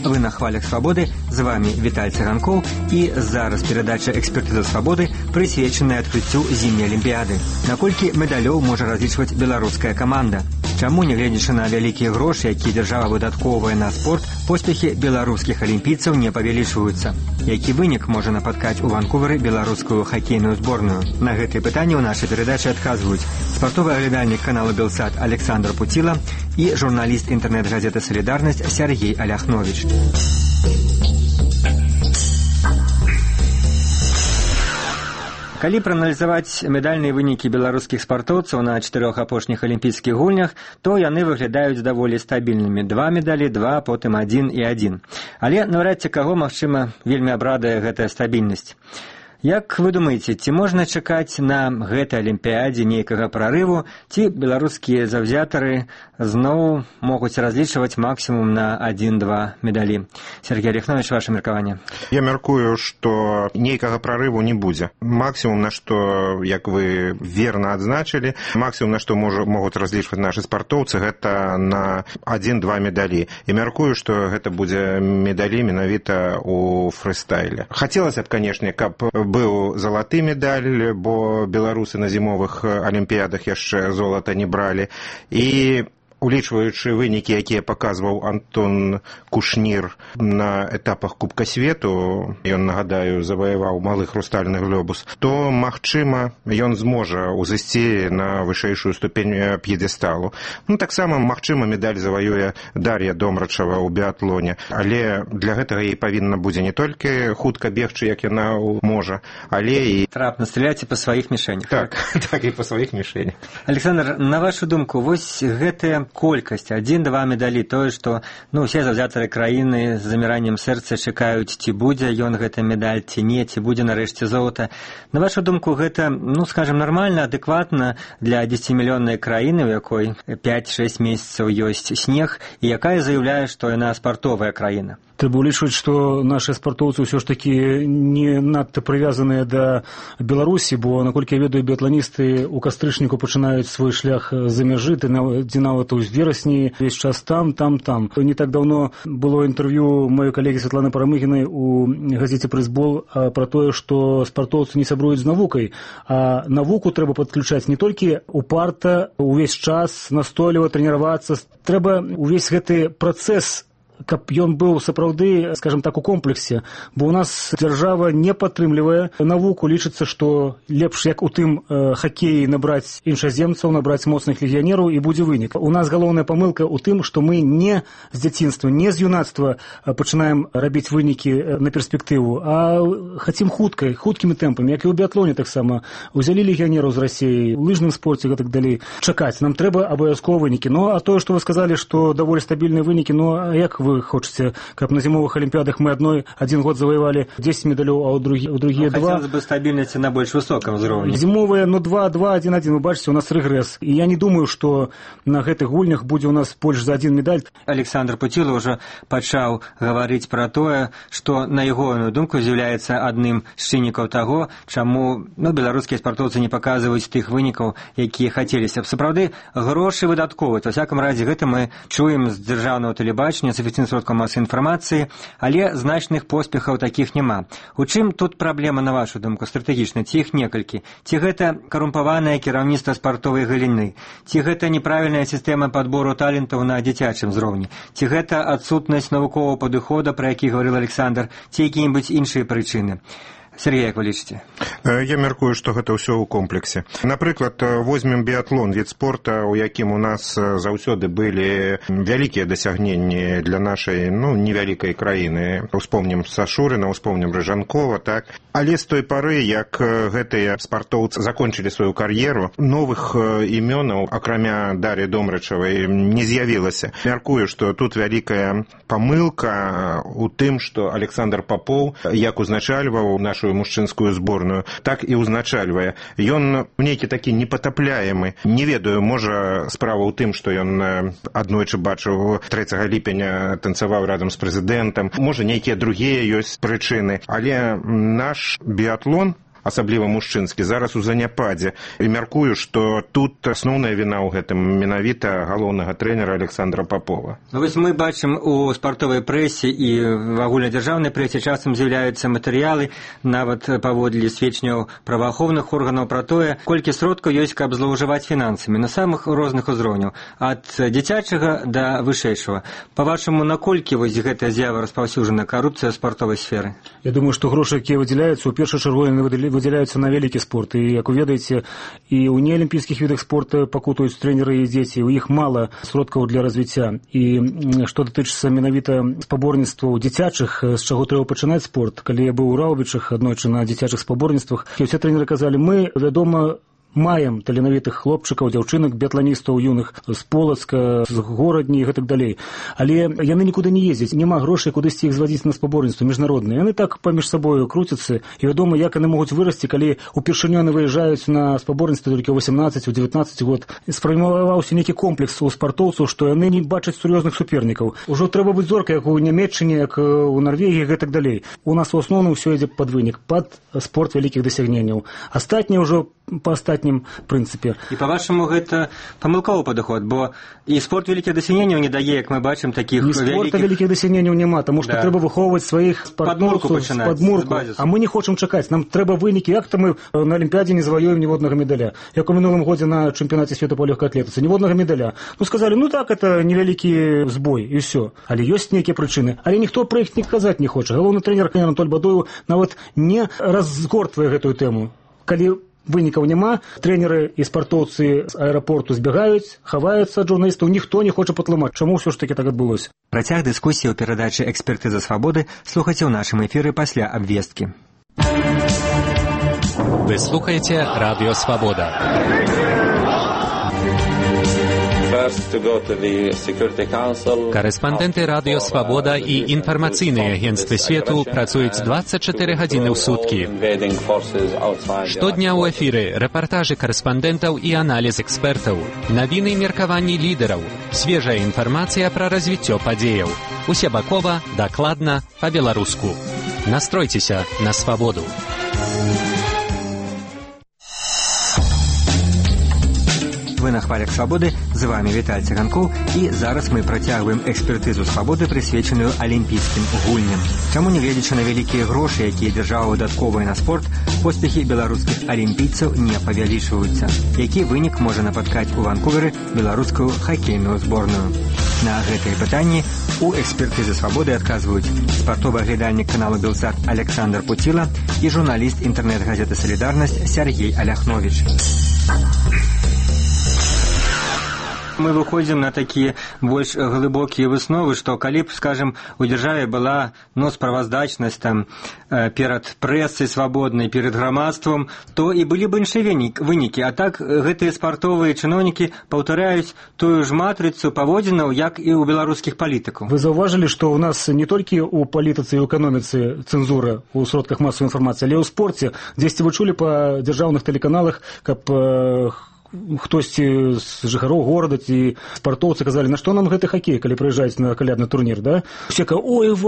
Вы на хвалях свабоды, з вами Віталь Цыганкоў, і зараз перадача «Экспертыза свабоды», прысвечаная адкрыццю зімняй алімпіяды. Наколькі медалёў можа разлічваць беларуская каманда? Чаму, нягледзячы на вялікія грошы, якія дзяржава выдаткоўвае на спорт, поспехі беларускіх алімпійцаў не павялічваюцца? Які вынік можа напаткаць у Ванкувары беларускую хакейную зборную? На гэтыя пытанні ў нашай перадачы адказваюць спартовы аглядальнік канала «Белсат» Александр Пуціла і журналіст інтэрнэт-газеты «Салідарнасць» Сергей Аляхнович. Калі прааналізаваць медальныя вынікі беларускіх спартоўцаў на 4 апошніх алімпійскіх гульнях, то яны выглядаюць даволі стабільнымі. 2 медалі, 2, потым 1 і 1. Але наўрад ці каго, магчыма, вельмі абрадае гэтая стабільнасць. Як вы думаеце, ці можна чакаць на гэтай алімпіядзе нейкага прарыву, ці беларускія заўзятары зноў могуць разлічваць максімум на 1-2 медалі? Сергей Аляхнович, ваше меркаванне. Я мяркую, што нейкага прарыву не будзе. Максімум, на што, як вы верна адзначылі, максімум, на што могуць разлічваць нашы спартоўцы, гэта на 1-2 медалі. І мяркую, што гэта будзе медалі менавіта ў фрыстайле. Хацелася б, канешне, каб быў залаты медаль, бо беларусы на зімовых алімпіядах яшчэ золата не бралі. І улічваючы вынікі, якія паказваў Антон Кушнір на этапах Кубка свету, ён, нагадаю, заваяваў малы хрустальны глобус, то, магчыма, ён зможа ўзысці на вышэйшую ступень п'едэсталу. Таксама, магчыма, медаль заваюе Дар'я Домрачава ў біатлоне, але для гэтага ей павінна будзе не толькі хутка бегчы, як яна можа, але і трапна страляць і па сваіх мішэнях. Так, і па сваіх мішэнях. Александр, на вашу думку, вось гэтая колькасць, 1-2 медалі, тое, што усе заўзятары краіны з заміраннем сэрца чакаюць, ці будзе ён гэта медаль, ці не, ці будзе нарэшце золата. На вашу думку, гэта, скажем, нармальна, адэкватна для 10-мільённай краіны, у якой 5-6 месяцаў ёсць снег, і якая заяўляе, што яна спартовая краіна? Трэба улічваць, што нашыя спартоўцы ўсё ж такі не надта прывязаныя да Беларусі, бо, наколькі я ведаю, біятланісты ў кастрычніку пачынаюць свой шлях за мяжы, дзе нават у верасні, весь час там. Не так даўно было інтэрв'ю маёй калегі Святланы Парамыгінай у газеце «Прайсбол» пра тое, што спартоўцы не сябруюць з навукай, а навуку трэба падключаць не толькі упарта, увесь час, настойліва трэніравацца. Трэба увесь гэты працэс, каб ён быў сапраўды, скажем так, у комплексе, бо у нас дзяржава не падтрымлівае навуку, лічыцца, што лепш, як у тым хакеі, набраць іншаземцаў, набраць моцных легіянераў, і будзе вынік. У нас галоўная памылка ў тым, што мы не з дзяцінства, не з юнацтва пачынаем рабіць вынікі на перспектыву, а хацім хуткімі тэмпамі, як і ў біятлоне таксама. Узялі легіянераў з Расіі, у лыжным спорце, гэтак далей. Чакаць, нам трэба абавязкова вынікі. А тое, што вы сказалі, што даволі стабільныя вынікі, як вы хочаце, каб на зімовых алімпіядах мы один год завоевали 10 медалёў, а ў другія 2. Хотелось бы стабільнасці на больш высоком ўзроўні. Зімовыя, 2-2, 1-1, вы бачыце, у нас рэгрэс. І я не думаю, што на гэтых гульнях будзе у нас больш за 1 медаль. Александр Пуціла ўжо пачаў гаварыць пра тое, што, на ягоную думку, з'яўляецца адным з чыннікаў таго, чаму беларускія спартоўцы не паказваюць тых вынікаў, якія хацеліся б. Сапраўды, грошы выдаткоўваць. Во всяком разе, гэта мы чуем з дзяржаўнага тэлебачання, з сродкаў масавай інфармацыі, але значных поспехаў такіх няма. У чым тут праблема, на вашу думку, стратэгічна? Ці іх некалькі? Ці гэта карумпаванае кіраўніцтва спартовай галіны? Ці гэта неправільная сістэма падбору талентаў на дзіцячым узроўні? Ці гэта адсутнасць навуковага падыхода, пра які гаварыў Александр, ці якія-небудзь іншыя прычыны? Сергей, як вы лічыце? Я мяркую, што гэта ўсё ў комплексе. Напрыклад, возьмем біятлон, від спорта, у якім у нас заўсёды былі вялікія дасягненні для нашай, невялікай краіны. Успомнім Сашурына, успомнім Рыжанкова, так? Але з той пары, як гэтыя спартоўцы закончылі сваю кар'еру, новых імёнаў, акрамя Дар'і Домрачавай, не з'явілася. Мяркую, што тут вялікая памылка у тым, што Александр Попоў, як узначальваў нашу мужчынскую зборную, так і ўзначальвае. Ён нейкі такі непатапляемы. Не ведаю, можа, справа ў тым, што ён аднойчы бачыў 3 ліпеня танцаваў разам з прэзідэнтам. Можа, нейкія другія ёсць прычыны. Але наш біятлон асабліва мужчынскі, зараз у заняпадзе. І мяркую, што тут асноўная віна ў гэтым менавіта галоўнага трэнера Александра Попова. Вось мы бачым у спартовай прэсе і в агульнадзяржаўнай прэсе часам з'яўляюцца матэрыялы, нават паводле сведчанняў праваахоўных органаў пра тое, колькі сродкаў ёсць, каб злоўжываць фінансамі на самых розных узроўняў, ад дзіцячага да вышэйшага. Па-вашаму, наколькі вось гэтая з'ява распаўсюджана карупцыя ў спартовай сферы? Я думаю, што грошы, якія выдзяляюцца, у першую чаргу выдзяляюцца на вялікі спорт. І, як вы ведаеце, і ў неалімпійскіх відах спорта пакутаюць трэнеры і дзеці, у іх мала сродкаў для развіцця. І што датычыцца менавіта спаборніцтваў дзіцячых, з чаго трэба пачынаць спорт. Калі я быў у Раўбічах аднойчы на дзіцячых спаборніцтвах, і ўсе трэнеры казалі, мы, вядома, маем таленавітых хлопчыкаў, дзяўчынак, біятланістаў юных з Полацка, з Горадні і гэтак далей. Але яны нікуды не ездзяць, няма грошай кудысьці іх звадзіць на спаборніцтва міжнародныя. Яны так паміж сабою круцяцца, і вядома, як яны могуць вырасці, калі упершыню яны выязджаюць на спаборніцтва толькі ў 18, у 19 год. Сфарміраваўся нейкі комплекс у спартоўцаў, што яны не бачаць сур'ёзных супернікаў. Ужо трэба быць зоркай, як у Нямецчыне, як у Нарвегіі, гэтак далей. У нас у асноўным ўсё ідзе пад вынік, пад спорт вялікіх дасягненняў. Астатняе ўжо па астатнім прынцыпе. І па-вашаму, гэта памылковы падыход, бо і спорт вялікіх дасягненняў не дае, як мы бачым, такіх вялікіх... спорта вялікіх дасягненняў няма, таму што трэба выхоўваць сваіх спартсменаў з падмурку. А мы не хочам чакаць, нам трэба вынікі. Як-то мы на Алімпіядзе не заваёем ніводнага медаля. Як у мінулым годзе на чэмпіянаце свету па лёгкай атлетыцы, ніводнага медаля. Ну, сказалі, ну так, это невялікі збой, і ўсё. Але ёсць нейкія прычыны. Але ніхто пра іх не казаць не хоча. Галоўны трэнер Анатоль Бадоеў нават не разгортвае гэтую тэму. Калі вынікаў няма, трэнеры і спартоўцы з аэрапорту збягаюць, хаваюцца ад журналістаў, ніхто не хоча патлумаць, чаму ўсё ж такі так адбылося. Працяг дыскусіі ў перадачы «Экспертыза свабоды» слухайце ў нашым эфіры пасля абвесткі. Вы слухаеце Радыё Свабода. Корэспандэнты Радыё Свабода і інфармацыйныя агенцтвы свету працуюць 24 гадзіны ў суткі. Штодня ў эфіры рэпартажы корэспандэнтаў і аналіз экспертаў, навіны і меркаванні лідараў, свежая інфармацыя пра развіццё падзеяў. Усебакова, дакладна, па-беларуску. Настройцеся на свабоду. Вы на хвалях свабоды, з вами Віталь Цыганкоў, і зараз мы працягваем экспертызу свабоды, прысвечаную алімпійскім гульням. Чаму, нягледзячы на вялікія грошы, якія дзяржава выдатковае на спорт, поспехі беларускіх алімпійцаў не павялічваюцца? Які вынік можа напаткаць у Ванкувері беларускую хакейную зборную? На гэтыя пытанні у экспертызы свабоды адказваюць спартовы аглядальнік каналу «Белсат» Александр Пуціла і журналіст інтэрнэт-газеты «Салідарнасць» Сергей Аляхновіч. Мы выходзім на такія больш глыбокія высновы, што калі б, скажем, у дзяржаве была справаздачнасць там перад прэсай свабоднай, перад грамадствам, то і былі б іншыя вынікі. А так гэтыя спартовыя чыноўнікі паўтаряюць тую ж матрыцу паводзінаў, як і ў беларускіх палітыкаў. Вы заўважылі, што ў нас не толькі ў палітыцы і ў эканоміцы цэнзура ў сродках масавай інфармацыі, але ў спорце. Дзесьці вы чулі па дзяржаўных тэлеканалах, каб хтосьці з жыхароў горада ці спартоўцы казалі, на што нам гэты хакей, калі прыязджаюць на калядны турнір, да? Усе кажуць, ой,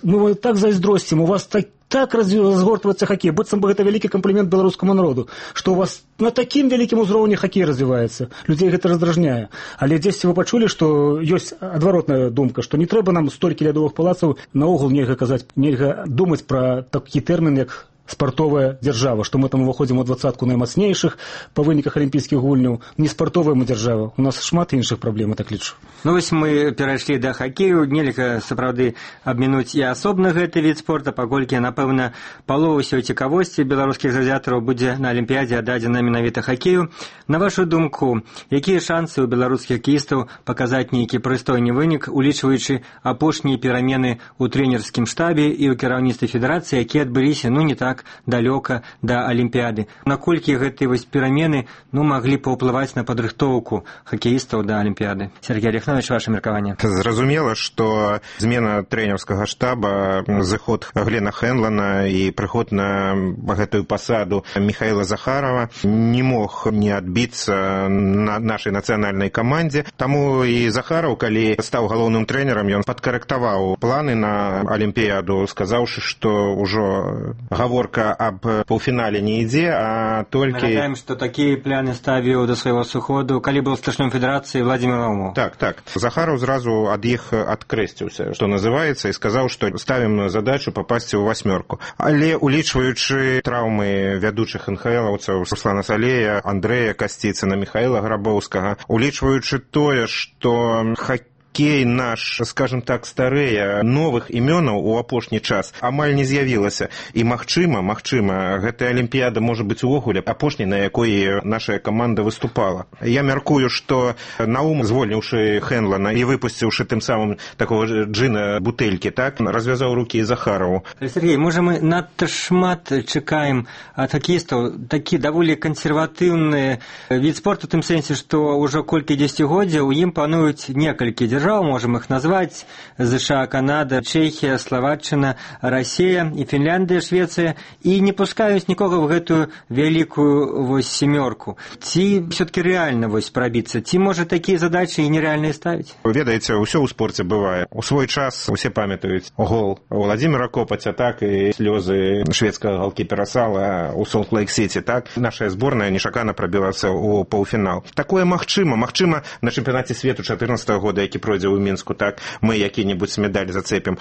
мы так зайздросцім, у вас так разгортваецца хакей, быццам бы гэта вялікі камплімент беларускаму народу, што у вас на такім вялікім узроўні хакей развіваецца. Людзей гэта раздражняе. Але дзесьці вы пачулі, што ёсць адваротная думка, што не трэба нам столькі лядовых палацаў, наогул нельга казаць, нельга думаць пра такі тэрмін, як спартовая дзяржава, што мы там уваходзім у 20-ку наймацнейшых па выніках алімпійскіх гульняў. Не спартовая мы дзяржава, у нас шмат іншых праблем, я так лічу. Ну вось мы перайшлі да хакею, нельга сапраўды абмінуць і асобна гэты від спорта, паколькі, напэўна, палова ўсёй цікавосці беларускіх заўзятараў будзе на алімпіядзе аддадзена менавіта хакею. На вашу думку, якія шансы ў беларускіх хакеістаў паказаць нейкі прыстойны вынік, улічваючы апошнія перамены ў трэнерскім штабе і ў кіраўніцтве федэрацыі, якія адбыліся, ну, не так далёка да алімпіяды? Наколькі гэтыя вось перамены маглі паўплываць на падрыхтоўку хакеістаў да алімпіяды? Сергей Аляхновіч, ваше меркаванне. Зразумела, што змена трэнерскага штаба, зыход Глена Хэнлана і прыход на гэтую пасаду Михаіла Захарова не мог не адбіцца на нашай нацыянальнай камандзе. Таму і Захараў, калі стаў галоўным трэнерам, ён падкарэктаваў планы на алімпіяду, сказаўшы, што ўжо гаворкі гаворка аб паўфінале не ідзе, а толькі... Нагадаем, што такія пляны ставіў да свайго сыходу, калі быў старшынём федэрацыі Владзімір Наумоў. Так. Захараў зразу ад іх адкрэсціўся, што называецца, і сказаў, што ставім задачу папасці ў 8. Але, улічваючы траўмы вядучых НХЛаўцаў Руслана Салея, Андрэя Касціцына, Міхаіла Грабоўскага, улічваючы тое, што хоккей наш, скажем так, старэе, новых імёнаў у апошні час амаль не з'явілася. І магчыма, гэтая алімпіяда можа быць увогуле апошняй, на якой наша каманда выступала. Я мяркую, што Наум, звольніўшы Хенлана і выпусціўшы тым самым такого джина бутэлькі, так, развязаў рукі Захарову. Сергей, можа мы надта шмат чакаем ад хакеістаў, такі даволі кансерватыўны від спорту, у тым сэнсе, што ўжо колькі дзесяцігоддзяў у ім пануюць некалькі дзяржаў, можем их назвать: США, Канада, Чехия, Словаччина, Россия и Финляндия, Швеция, и не пускаюць нікога в гэтую вялікую вось семёрку. Ці все-таки реально вось пробиться? Ці можа такие задачи и нереальные ставить? Ведаеце, усё ў спорце бывае. У свой час усе памятаюць гол Владзіміра Копаця, так, і слёзы шведскага галкіпера Сала у Солт-Лейк-Сіці, так. Наша зборная нечакана прабілася ў паўфінал. Такое магчыма на чэмпіянаце свету 14-го года, які пройдзе ў Мінску, так, мы які-небудзь медаль зацепім.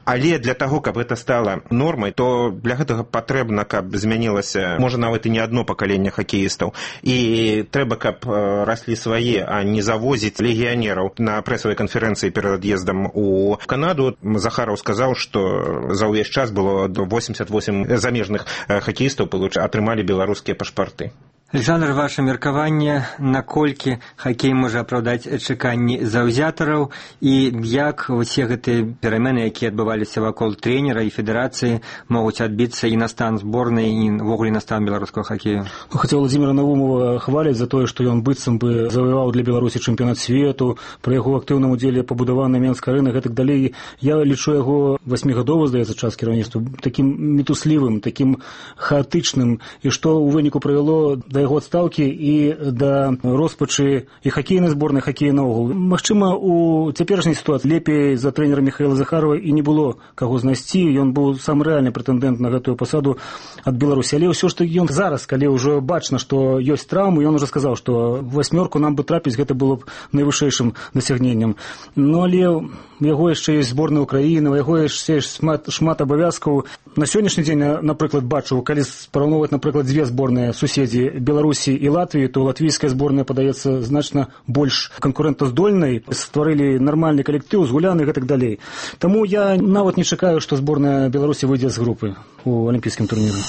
Але для таго, каб гэта стала нормай, то для гэтага патрэбна, каб змянілася, можа, нават і не адно пакаленне хакеістаў. І трэба, каб раслі свае, а не завозіць легіянераў. На прэсавай канферэнцыі перад ад'ездам у Канаду Захараў сказаў, што за ўвесь час было 88 замежных хакеістаў атрымалі беларускія пашпарты. Александр, ваше меркаванне, наколькі хакей можа апраўдаць чаканні заўзятараў і як усе гэтыя перамены, якія адбываліся вакол трэнера і федэрацыі, могуць адбіцца і на стан зборнай, і ўвогуле на стан беларускага хакею? Хаця Владзіміра Наумова хваляць за тое, што ён быццам бы заваяваў для Беларусі чэмпіянат свету, пры яго актыўным удзеле пабудавана Менская арэна, гэтак далей. Я лічу яго 8гадовы, здаецца, час кіраўніцтва такім мітуслівым, такім хаатычным, і што ў выніку прывяло да яго адстаўкі і да роспачы і хакейнай зборнай, хакея наогул. Магчыма, у цяперашняй сітуацыі лепей за трэнера Міхаіла Захарова і не было каго знайсці, ён быў сам рэальны прэтэндэнт на гэтую пасаду ад Беларусі. Але ўсё ж такі ён зараз, калі ўжо бачна, што ёсць траўмы, ён ужо сказаў, што 8 нам бы трапіць, гэта было б найвышэйшым дасягненнем. Ну, але у яго яшчэ ёсць зборная Украіны, у яго яшчэ шмат абавязкаў. На сённяшні дзень, напрыклад, бачу, калі параўноўваць, напрыклад, дзве зборныя суседзі Беларусі і Латвіі, то латвійская зборная падаецца значна больш канкурэнтаздольнай, стварылі нармальны калектыў, згуляны і гэтак далей. Таму я нават не чакаю, што зборная Беларусі выйдзе з групы у алімпійскім турніры.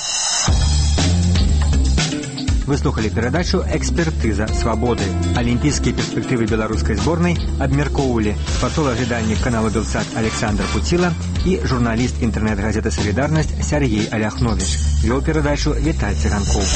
Вы слухали перадачу «Экспертыза свабоды». Алімпійскія перспектывы беларускай зборнай абмяркоўвалі спартовы-аглядальнік канала «Белсат» Александр Пуціла і журналіст інтэрнэт-газеты «Салідарнасць» Сергей Аляхновіч. Вёў перадачу Віталь Цыганкоў.